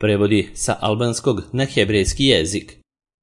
prevodi sa albanskog na hebrejski jezik.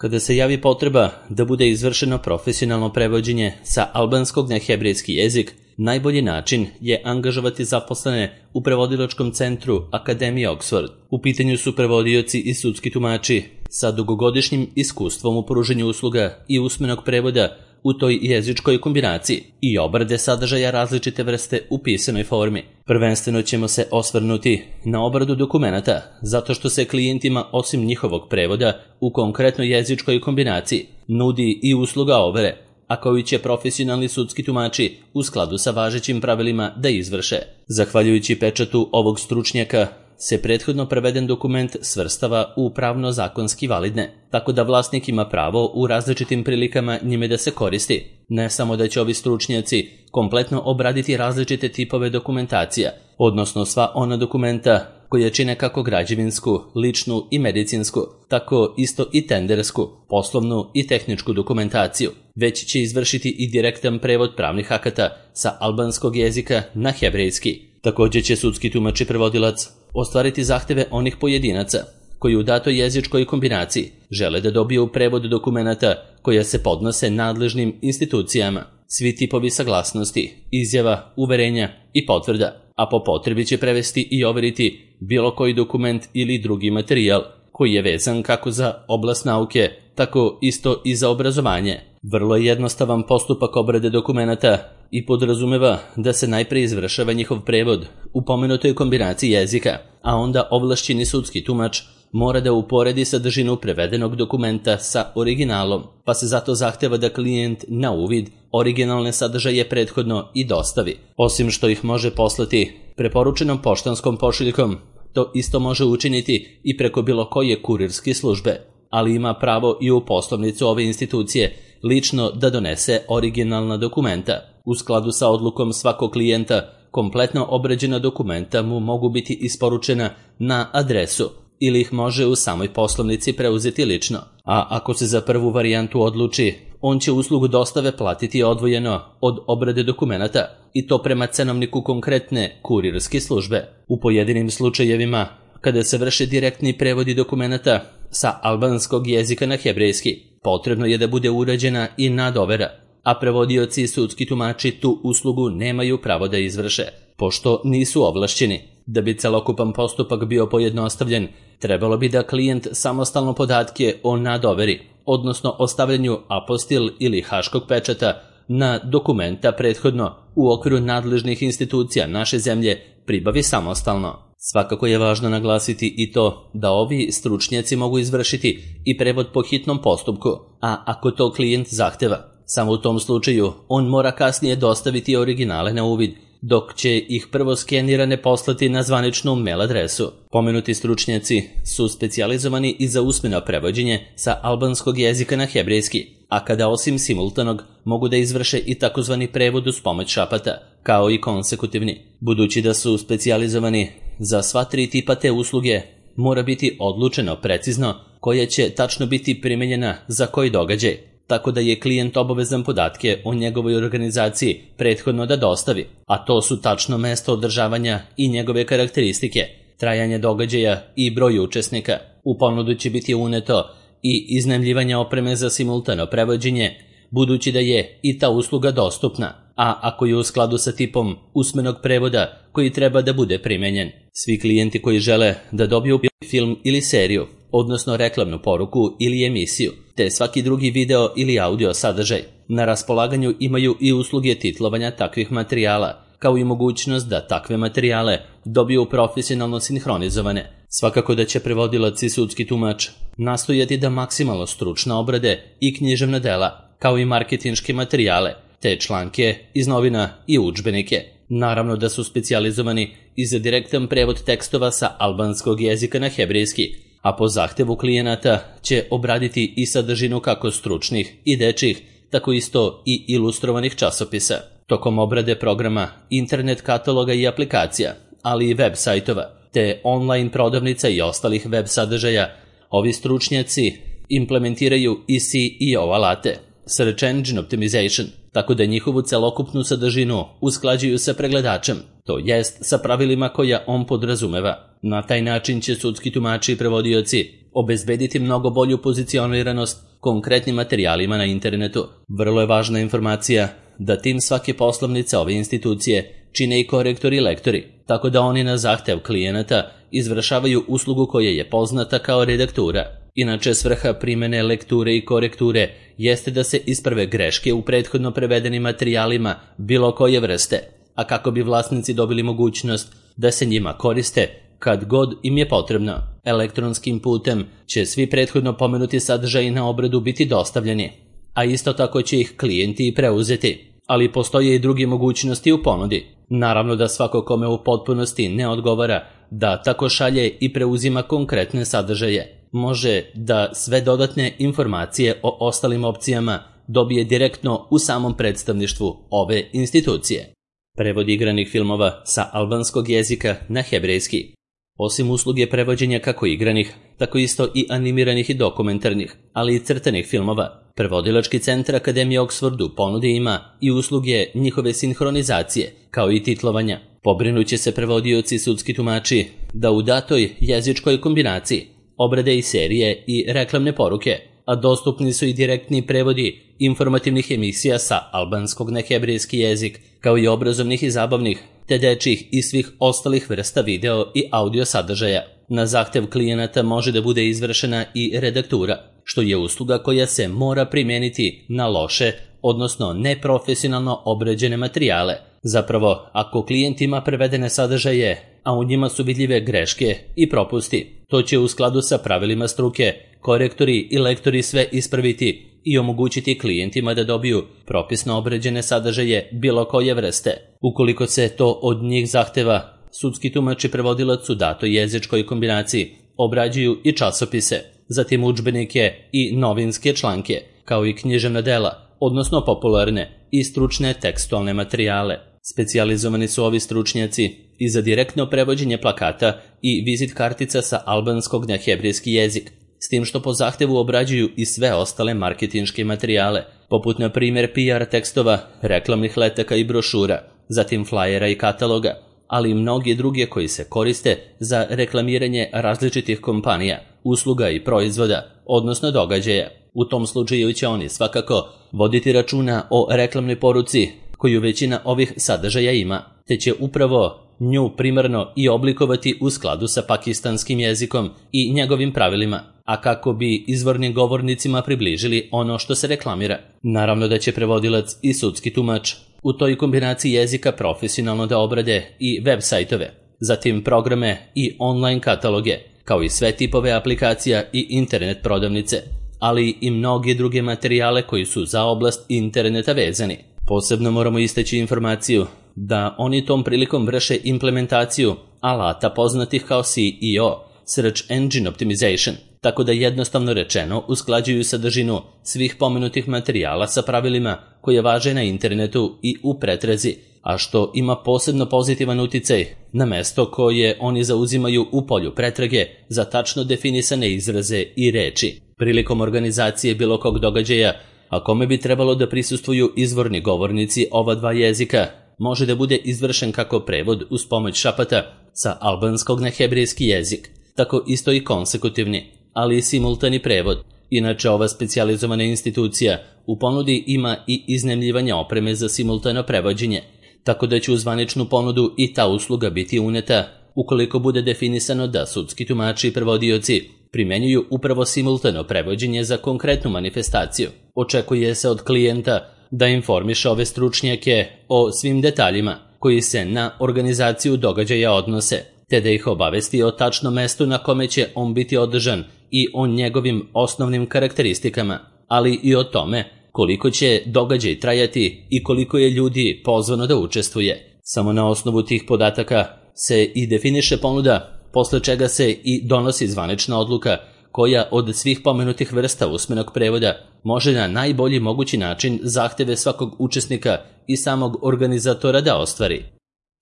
Kada se javi potreba da bude izvršeno profesionalno prevođenje sa albanskog na hebrejski jezik, najbolji način je angažovati zaposlene u prevodilačkom centru Akademije Oxford. U pitanju su prevodioci i sudski tumači sa dugogodišnjim iskustvom u pružanju usluga i usmenog prevoda u toj jezičkoj kombinaciji i obrade sadržaja različite vrste u pisanoj formi. Prvenstveno ćemo se osvrnuti na obradu dokumenata, zato što se klijentima osim njihovog prevoda u konkretnoj jezičkoj kombinaciji nudi i usluga overe, a koju će profesionalni sudski tumači u skladu sa važećim pravilima da izvrše. Zahvaljujući pečatu ovog stručnjaka se prethodno preveden dokument svrstava u pravno-zakonski validne, tako da vlasnik ima pravo u različitim prilikama njime da se koristi. Ne samo da će ovi stručnjaci kompletno obraditi različite tipove dokumentacija, odnosno sva ona dokumenta koja čine kako građevinsku, ličnu i medicinsku, tako isto i tendersku, poslovnu i tehničku dokumentaciju, već će izvršiti i direktan prevod pravnih akata sa albanskog jezika na hebrejski. Također će sudski tumač i prevodilac ostvariti zahteve onih pojedinaca koji u datoj jezičkoj kombinaciji žele da dobiju prevod dokumenata koja se podnose nadležnim institucijama, svi tipovi saglasnosti, izjava, uverenja i potvrda, a po potrebi će prevesti i overiti bilo koji dokument ili drugi materijal koji je vezan kako za oblast nauke, tako isto i za obrazovanje. Vrlo je jednostavan postupak obrade dokumenata i podrazumeva da se najpre izvršava njihov prevod u pomenutoj kombinaciji jezika, a onda ovlašćeni sudski tumač mora da uporedi sadržinu prevedenog dokumenta sa originalom, pa se zato zahteva da klijent na uvid originalne sadržaje prethodno i dostavi. Osim što ih može poslati preporučenom poštanskom pošiljkom, to isto može učiniti i preko bilo koje kurirske službe, ali ima pravo i u poslovnicu ove institucije lično da donese originalna dokumenta. U skladu sa odlukom svakog klijenta, kompletno obrađena dokumenta mu mogu biti isporučena na adresu ili ih može u samoj poslovnici preuzeti lično. A ako se za prvu varijantu odluči, on će uslugu dostave platiti odvojeno od obrade dokumenata i to prema cenovniku konkretne kurirske službe. U pojedinim slučajevima, kada se vrše direktni prevodi dokumenata sa albanskog jezika na hebrejski, potrebno je da bude urađena i nadovera, a prevodioci i sudski tumači tu uslugu nemaju pravo da izvrše, pošto nisu ovlašćeni. Da bi celokupan postupak bio pojednostavljen, trebalo bi da klijent samostalno podatke o nadoveri, odnosno o stavljanju apostil ili haškog pečata na dokumenta prethodno u okviru nadležnih institucija naše zemlje pribavi samostalno. Svakako je važno naglasiti i to da ovi stručnjaci mogu izvršiti i prevod po hitnom postupku, a ako to klijent zahteva, samo u tom slučaju on mora kasnije dostaviti originale na uvid, dok će ih prvo skenirane poslati na zvaničnu mail adresu. Pomenuti stručnjaci su specijalizovani i za usmeno prevođenje sa albanskog jezika na hebrejski, a kada osim simultanog mogu da izvrše i takozvani prevod uz pomoć šapata, kao i konsekutivni. Budući da su specijalizovani za sva tri tipa te usluge, mora biti odlučeno precizno koja će tačno biti primenjena za koji događaj, tako da je klijent obavezan podatke o njegovoj organizaciji prethodno da dostavi, a to su tačno mesto održavanja i njegove karakteristike, trajanje događaja i broj učesnika. U ponudu će biti uneto i iznajmljivanje opreme za simultano prevođenje, budući da je i ta usluga dostupna, a ako je u skladu sa tipom usmenog prevoda koji treba da bude primenjen. Svi klijenti koji žele da dobiju film ili seriju, odnosno reklamnu poruku ili emisiju, te svaki drugi video ili audio sadržaj, na raspolaganju imaju i usluge titlovanja takvih materijala, kao i mogućnost da takve materijale dobiju profesionalno sinhronizovane. Svakako da će prevodilac i sudski tumač nastojati da maksimalno stručno obrade i književna dela, kao i marketinške materijale, te članke iz novina i udžbenike. Naravno da su specijalizovani i za direktan prevod tekstova sa albanskog jezika na hebrejski, a po zahtevu klijenata će obraditi i sadržinu kako stručnih i dečjih, tako isto i ilustrovanih časopisa. Tokom obrade programa, internet kataloga i aplikacija, ali i web sajtova, te online prodavnica i ostalih web sadržaja, ovi stručnjaci implementiraju i SEO alate, Search Engine Optimization, tako da njihovu celokupnu sadržinu usklađuju sa pregledačem, to jest sa pravilima koja on podrazumeva. Na taj način će sudski tumači i prevodioci obezbediti mnogo bolju pozicioniranost konkretnim materijalima na internetu. Vrlo je važna informacija da tim svake poslovnice ove institucije čine i korektori i lektori, tako da oni na zahtev klijenata izvršavaju uslugu koja je poznata kao redaktura. Inače, svrha primene lekture i korekture jeste da se isprave greške u prethodno prevedenim materijalima bilo koje vrste, a kako bi vlasnici dobili mogućnost da se njima koriste kad god im je potrebno. Elektronskim putem će svi prethodno pomenuti sadržaji na obradu biti dostavljeni, a isto tako će ih klijenti i preuzeti, ali postoje i druge mogućnosti u ponudi. Naravno da svako kome u potpunosti ne odgovara da tako šalje i preuzima konkretne sadržaje, može da sve dodatne informacije o ostalim opcijama dobije direktno u samom predstavništvu ove institucije. Prevod igranih filmova sa albanskog jezika na hebrejski. Osim usluge prevođenja kako igranih, tako isto i animiranih i dokumentarnih, ali i crtanih filmova, Prevodilački centar Akademije Oxfordu ponudi ima i usluge njihove sinhronizacije, kao i titlovanja. Pobrinuće se prevodioci i sudski tumači da u datoj jezičkoj kombinaciji obrade i serije i reklamne poruke, a dostupni su i direktni prevodi informativnih emisija sa albanskog na hebrejski jezik, kao i obrazovnih i zabavnih, te dečjih i svih ostalih vrsta video i audio sadržaja. Na zahtev klijenata može da bude izvršena i redaktura, što je usluga koja se mora primijeniti na loše, odnosno neprofesionalno obrađene materijale. Zapravo, ako klijent ima prevedene sadržaje, a u njima su vidljive greške i propusti, to će u skladu sa pravilima struke korektori i lektori sve ispraviti i omogućiti klijentima da dobiju propisno obrađene sadržaje bilo koje vrste. Ukoliko se to od njih zahteva, sudski tumač i prevodilac u datoj jezičkoj kombinaciji obrađuju i časopise, zatim udžbenike i novinske članke, kao i književna dela, odnosno popularne i stručne tekstualne materijale. Specijalizovani su ovi stručnjaci i za direktno prevođenje plakata i vizit kartica sa albanskog na hebrejski jezik, s tim što po zahtevu obrađuju i sve ostale marketinške materijale, poput na primjer PR tekstova, reklamnih letaka i brošura, zatim flajera i kataloga, ali i mnogi druge koji se koriste za reklamiranje različitih kompanija, usluga i proizvoda, odnosno događaja. U tom slučaju će oni svakako voditi računa o reklamnoj poruci koju većina ovih sadržaja ima, te će upravo nju primarno i oblikovati u skladu sa pakistanskim jezikom i njegovim pravilima, a kako bi izvornim govornicima približili ono što se reklamira. Naravno da će prevodilac i sudski tumač u toj kombinaciji jezika profesionalno da obrade i web sajtove, zatim programe i online kataloge, kao i sve tipove aplikacija i internet prodavnice, ali i mnoge druge materijale koji su za oblast interneta vezani. Posebno moramo istaći informaciju da oni tom prilikom vrše implementaciju alata poznatih kao SEO, Search Engine Optimization, tako da jednostavno rečeno usklađuju sadržinu svih pomenutih materijala sa pravilima koje važe na internetu i u pretrazi, a što ima posebno pozitivan uticaj na mesto koje oni zauzimaju u polju pretrage za tačno definisane izraze i reči. Prilikom organizacije bilo kog događaja, a kome bi trebalo da prisustvuju izvorni govornici ova dva jezika, može da bude izvršen kako prevod uz pomoć šapata sa albanskog na hebrejski jezik, tako isto i konsekutivni, ali i simultani prevod. Inače, ova specijalizovana institucija u ponudi ima i iznajmljivanje opreme za simultano prevođenje, tako da će u zvaničnu ponudu i ta usluga biti uneta ukoliko bude definisano da sudski tumači i prevodioci primenjuju upravo simultano prevođenje za konkretnu manifestaciju. Očekuje se od klijenta da informiše ove stručnjake o svim detaljima koji se na organizaciju događaja odnose, te da ih obavesti o tačnom mestu na kome će on biti održan i o njegovim osnovnim karakteristikama, ali i o tome koliko će događaj trajati i koliko je ljudi pozvano da učestvuje. Samo na osnovu tih podataka se i definiše ponuda, posle čega se i donosi zvanična odluka koja od svih pomenutih vrsta usmenog prevoda može na najbolji mogući način zahteve svakog učesnika i samog organizatora da ostvari.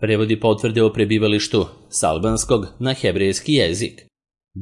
Prevodi potvrde o prebivalištu s albanskog na hebrejski jezik.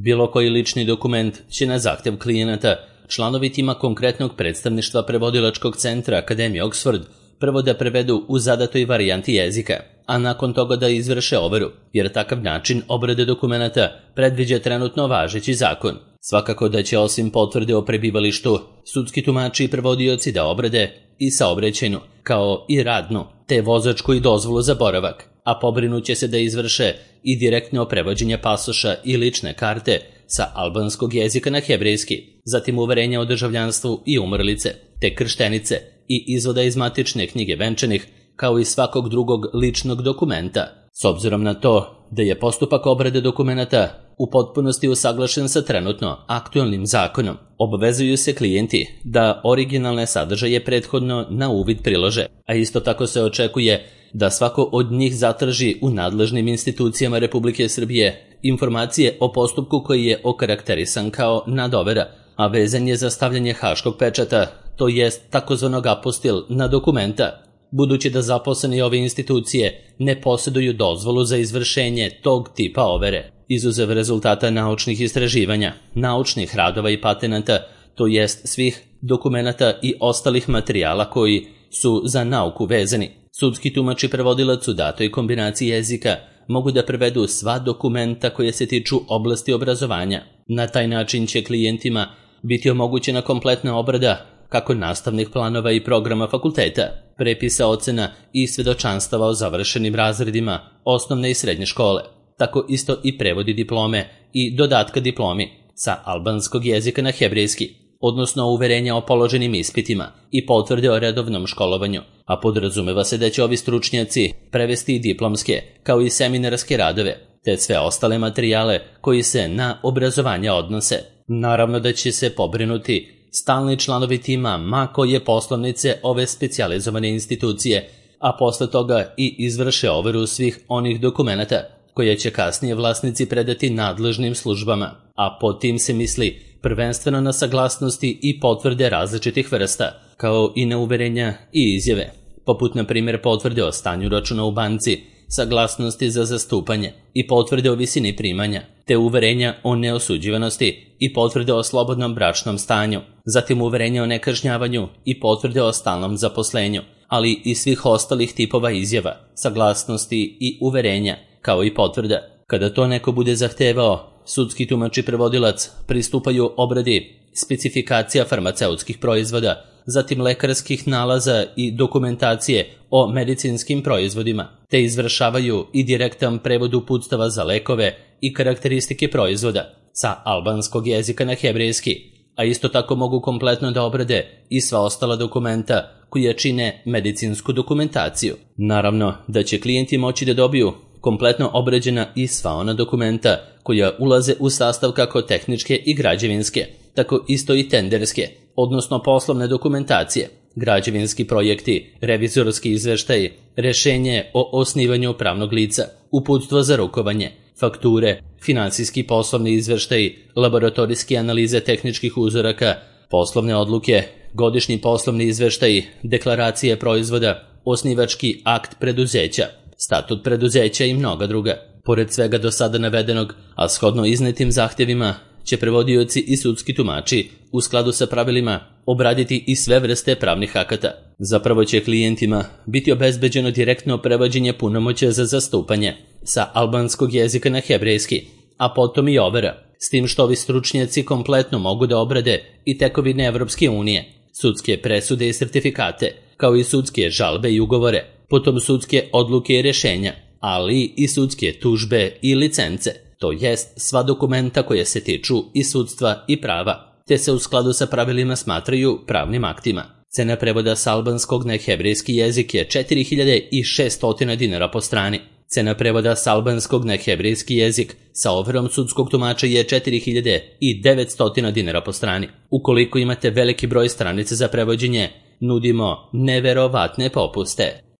Bilo koji lični dokument će na zahtev klijenata članovi tima konkretnog predstavništva prevodilačkog centra Akademije Oxford prvo da prevedu u zadatoj varijanti jezika, a nakon toga da izvrše overu, jer takav način obrade dokumenata predviđa trenutno važeći zakon. Svakako da će osim potvrde o prebivalištu, sudski tumači i prevodioci da obrade i saobraćajnu, kao i radnu, te vozačku i dozvolu za boravak, a pobrinuće se da izvrše i direktno prevođenje pasoša i lične karte sa albanskog jezika na hebrejski, zatim uverenja o državljanstvu i umrlice, te krštenice i izvoda iz matične knjige venčanih, kao i svakog drugog ličnog dokumenta. S obzirom na to da je postupak obrade dokumenata u potpunosti usaglašen sa trenutno aktualnim zakonom, obavezuju se klijenti da originalne sadržaje prethodno na uvid prilože, a isto tako se očekuje da svako od njih zatraži u nadležnim institucijama Republike Srbije informacije o postupku koji je okarakterisan kao nadovera, a vezan je za stavljanje haškog pečata, to jest takozvanog apostil na dokumenta, budući da zaposleni ove institucije ne posjeduju dozvolu za izvršenje tog tipa overe. Izuzev rezultata naučnih istraživanja, naučnih radova i patenata, to jest svih dokumenata i ostalih materijala koji su za nauku vezani, sudski tumač i prevodilac u datoj kombinaciji jezika mogu da prevedu sva dokumenta koje se tiču oblasti obrazovanja. Na taj način će klijentima biti omogućena kompletna obrada kako nastavnih planova i programa fakulteta, prepisa ocena i svedočanstava o završenim razredima osnovne i srednje škole, tako isto i prevodi diplome i dodatka diplomi sa albanskog jezika na hebrejski, odnosno uverenja o položenim ispitima i potvrde o redovnom školovanju, a podrazumeva se da će ovi stručnjaci prevesti i diplomske, kao i seminarske radove, te sve ostale materijale koji se na obrazovanje odnose. Naravno da će se pobrinuti stalni članovi tima ma koje poslovnice ove specijalizovane institucije, a posle toga i izvrše overu svih onih dokumenata koje će kasnije vlasnici predati nadležnim službama, a pod tim se misli prvenstveno na saglasnosti i potvrde različitih vrsta, kao i na uverenja i izjave, poput na primjer potvrde o stanju računa u banci, saglasnosti za zastupanje i potvrde o visini primanja, te uverenja o neosuđivanosti i potvrde o slobodnom bračnom stanju, zatim uverenja o nekažnjavanju i potvrde o stalnom zaposlenju, ali i svih ostalih tipova izjava, saglasnosti i uverenja, kao i potvrda. Kada to neko bude zahtevao, sudski tumač i prevodilac pristupaju obradi specifikacija farmaceutskih proizvoda, zatim lekarskih nalaza i dokumentacije o medicinskim proizvodima, te izvršavaju i direktan prevod uputstava za lekove i karakteristike proizvoda sa albanskog jezika na hebrejski, a isto tako mogu kompletno da obrade i sva ostala dokumenta koja čine medicinsku dokumentaciju. Naravno da će klijenti moći da dobiju kompletno obrađena i sva ona dokumenta koja ulaze u sastav kako tehničke i građevinske, tako isto i tenderske, odnosno poslovne dokumentacije, građevinski projekti, revizorski izveštaji, rešenje o osnivanju pravnog lica, uputstvo za rukovanje, fakture, finansijski poslovni izveštaji, laboratorijske analize tehničkih uzoraka, poslovne odluke, godišnji poslovni izveštaji, deklaracije proizvoda, osnivački akt preduzeća, statut preduzeća i mnoga druga. Pored svega do sada navedenog, a shodno iznetim zahtjevima, će prevodioci i sudski tumači u skladu sa pravilima obraditi i sve vrste pravnih akata. Zapravo će klijentima biti obezbeđeno direktno prevođenje punomoćja za zastupanje sa albanskog jezika na hebrejski, a potom i overa, s tim što ovi stručnjaci kompletno mogu da obrade i tekovine Evropske unije, sudske presude i sertifikate, kao i sudske žalbe i ugovore, potom sudske odluke i rešenja, ali i sudske tužbe i licence, to jest sva dokumenta koje se tiču i sudstva i prava, te se u skladu sa pravilima smatraju pravnim aktima. Cena prevoda s albanskog na hebrejski jezik je 4600 dinara po strani. Cena prevoda s albanskog na hebrejski jezik sa overom sudskog tumača je 4900 dinara po strani. Ukoliko imate veliki broj stranica za prevođenje, nudimo neverovatne popuste.